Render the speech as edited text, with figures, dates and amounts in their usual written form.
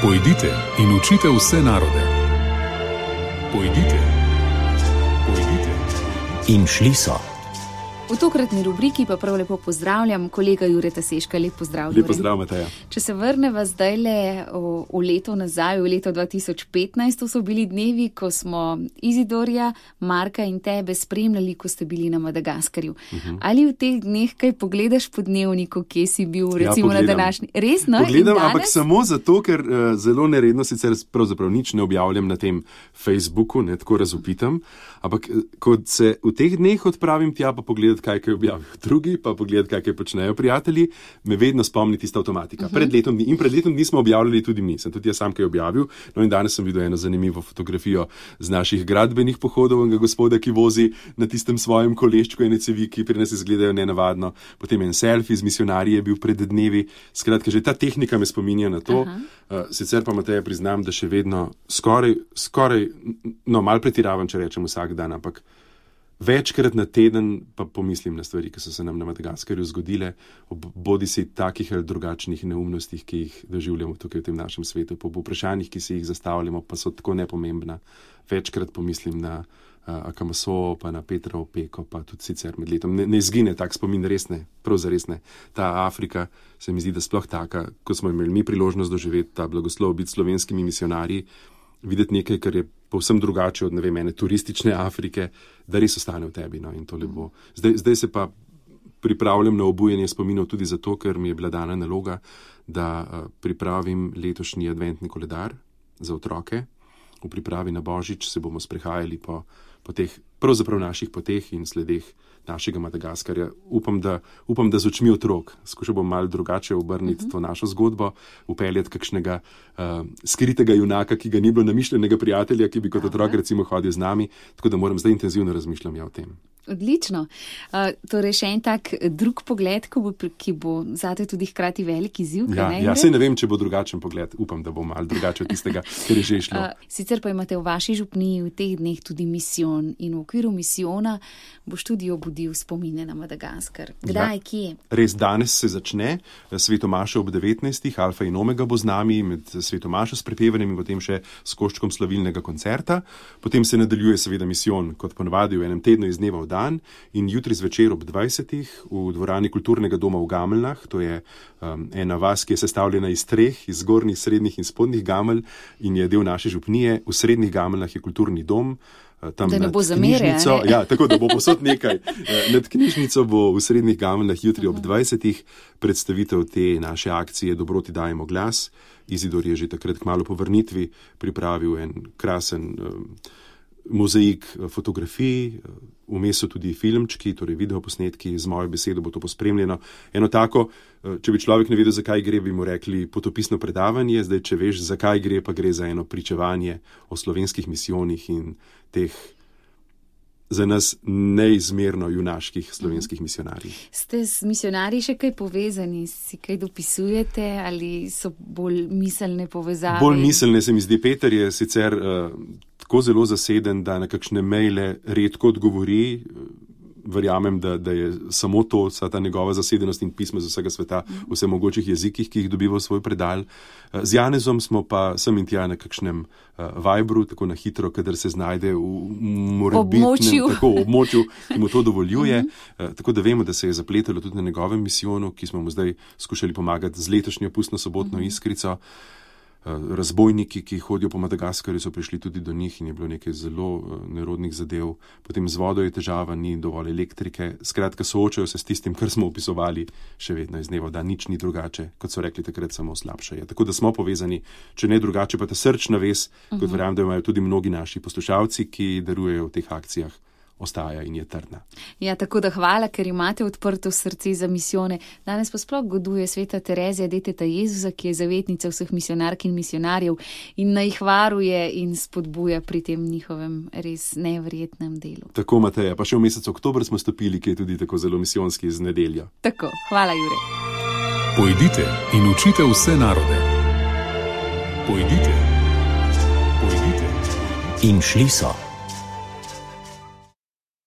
Pojdite in učite vse narode. Pojdite. In šli so. V tokratni rubriki pa prav lepo pozdravljam kolega Jureta Seška. Lep pozdrav, Jure. Lep pozdrav, Mateja. Če se vrneva zdajle v leto nazaj, v leto 2015, to so bili dnevi, ko smo Izidorja, Marka in tebe spremljali, ko ste bili na Madagaskarju. Ali v teh dneh kaj pogledaš po dnevniku, kje si bil, recimo na današnji? Res, no? Pogledam, ampak samo zato, ker zelo neredno sicer pravzaprav nič ne objavljam na tem Facebooku, ne tako razupitam, ampak ko se v teh dneh odpravim tja, pa pogledati, kaj objavijo drugi, pa pogledati, kaj počnejo prijatelji, me vedno spomni tista avtomatika. Pred letom dni smo objavljali tudi mi, sem tudi jaz sam kaj objavil, no in danes sem videl eno zanimivo fotografijo z naših gradbenih pohodov, enega gospoda, ki vozi na tistem svojem koleščku ene cevi, ki pri nas izgledajo nenavadno, potem en selfie z misijonarji je bil pred dnevi, skratka, že ta tehnika me spominja na to, sicer pa Mateja priznam, da še vedno skoraj, no, malo pretiravam, če rečem vsak dan, ampak večkrat na teden pa pomislim na stvari, ki so se nam na Madagaskarju zgodile, bodi si takih ali drugačnih neumnostih, ki jih doživljamo tukaj v tem našem svetu, po vprašanjih, ki si jih zastavljamo, pa so tako nepomembna. Večkrat pomislim na Akamaso, pa na Petra Opeko, pa tudi sicer med letom. Ne izgine tak spomin, resne, prav zares ne. Ta Afrika se mi zdi, da sploh taka, ko smo imeli mi priložnost doživeti ta blagoslov, biti slovenskimi misijonarji, videti nekaj, kar je povsem drugače od, ne vem, ene turistične Afrike, da res ostane v tebi, no, in to lepo. Zdaj se pa pripravljam na obujanje spominov tudi zato, ker mi je bila dana naloga, da pripravim letošnji adventni koledar za otroke. V pripravi na Božič se bomo sprehajali po teh pravzaprav naših poteh in sledeh našega Madagaskarja. Upam, da z očmi otrok. Skušal bom malo drugače obrniti to našo zgodbo, upeljati kakšnega skritega junaka, ki ga ni bilo namišljenega prijatelja, ki bi kot otrok recimo hodil z nami, tako da moram zdaj intenzivno razmišljati o tem. Odlično. Torej še en tak drug pogled, ki bo zate tudi hkrati velik izziv. Saj ne vem, če bo drugačen pogled. Upam, da bo malo drugače od tistega, ker je že šlo. Sicer pa imate v vaši župniji v teh dneh tudi misijon in v okviru misijona boš tudi obudil spomine na Madagaskar. Kdaj, kje? Res, danes se začne Svetomaša ob 19. Alfa in Omega bo z nami med Svetomašo s prepevanjem in potem še s koščkom slavilnega koncerta. Potem se nadaljuje seveda misijon, kot ponavadi v enem tednu iz dneva v dan, in jutri zvečer ob 20. v dvorani Kulturnega doma v Gameljnah, to je ena vas, ki je sestavljena iz treh, iz zgornjih, srednjih in spodnjih Gamelj in je del naše župnije. V srednjih Gameljnah je kulturni dom, tam da ne bo zamere, tako da bo posod nekaj. Nad knjižnico bo v srednjih Gameljnah jutri ob 20. predstavitev te naše akcije Dobroti dajemo glas. Izidor je že takrat kmalu po vrnitvi pripravil en krasen mozaik fotografij, vmes so tudi filmčki, torej videoposnetki, z mojo besedo bo to pospremljeno. Eno tako, če bi človek ne vedel, zakaj gre, bi mu rekli potopisno predavanje, zdaj, če veš, zakaj gre, pa gre za eno pričevanje o slovenskih misijonih in teh za nas neizmerno junaških slovenskih misijonarjih. Ste s misijonarji še kaj povezani? Si kaj dopisujete ali so bolj miselne povezave? Bolj miselne se mi zdi. Peter je sicer tako zelo zaseden, da na kakšne maile redko odgovori. Verjamem, da je samo to, vsa ta njegova zasedenost in pisma z vsega sveta v vse mogočih jezikih, ki jih dobiva v svoj predal. Z Janezom smo pa sem in tja na kakšnem Vibru, tako na hitro, kadar se znajde v morebitnem območju, ki mu to dovoljuje. Tako da vemo, da se je zapletalo tudi na njegovem misijonu, ki smo mu zdaj skušali pomagati z letošnjo pustno sobotno iskrico. Razbojniki, ki hodijo po Madagaskarju, so prišli tudi do njih in je bilo nekaj zelo nerodnih zadev. Potem z vodo je težava, ni dovolj elektrike. Skratka, soočajo se s tistim, kar smo opisovali še vedno iz dneva v dan. Nič ni drugače, kot so rekli takrat, samo slabše je. Tako da smo povezani, če ne drugače, pa ta srčna vez, kot verjamem, da imajo tudi mnogi naši poslušalci, ki darujejo v teh akcijah, ostaja in je trdna. Ja, tako da hvala, ker imate odprto srce za misijone. Danes pa sploh goduje sveta Terezija, deteta Jezusa, ki je zavetnica vseh misijonark in misijonarjev in naj jih varuje in spodbuja pri tem njihovem res neverjetnem delu. Tako, Mateja, pa še v mesecu oktober smo stopili, ki je tudi tako zelo misijonski z nedeljo. Tako, hvala, Jure. Pojdite in učite vse narode. Pojdite. In šli so.